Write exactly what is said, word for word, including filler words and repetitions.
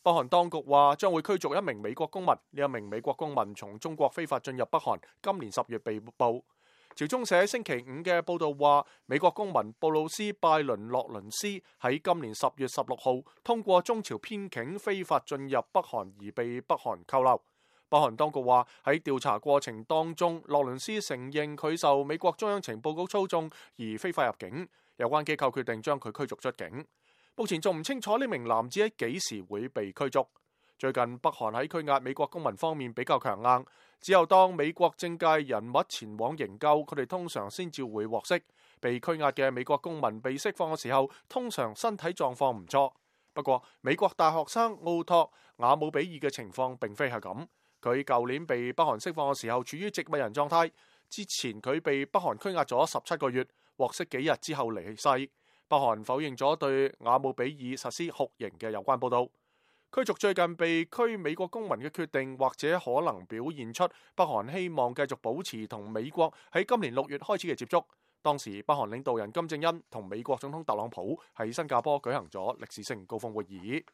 北韓當局話將會驅逐一名美國公民，呢一名美國公民從中國非法進入北韓，今年十月被捕。朝中社星期五嘅報道話，美國公民布魯斯拜倫洛倫斯喺今年十月十六號通過中朝邊境非法進入北韓而被北韓扣留。北韓當局話喺調查過程當中，洛倫斯承認佢受美國中央情報局操縱而非法入境，有關機構決定將佢驅逐出境。目前仲唔清楚呢名男子喺幾時會被驅逐。最近北韓喺拘押美國公民方面比較強硬，只有當美國政界人物前往營救，佢哋通常先至會獲釋。被拘押嘅美國公民被釋放嘅時候，通常身體狀況唔錯。不過美國大學生奧托瓦姆比爾嘅情況並非係咁，佢舊年被北韓釋放嘅時候處於植物人狀態，之前佢被北韓拘押咗十七個月，獲釋幾日之後離世。北韓否認咗對瓦姆比爾實施酷刑嘅有關報道。驅逐最近被拘美國公民嘅決定，或者可能表現出北韓希望繼續保持同美國喺今年六月開始嘅接觸。當時北韓領導人金正恩同美國總統特朗普喺新加坡舉行咗歷史性高峰會議。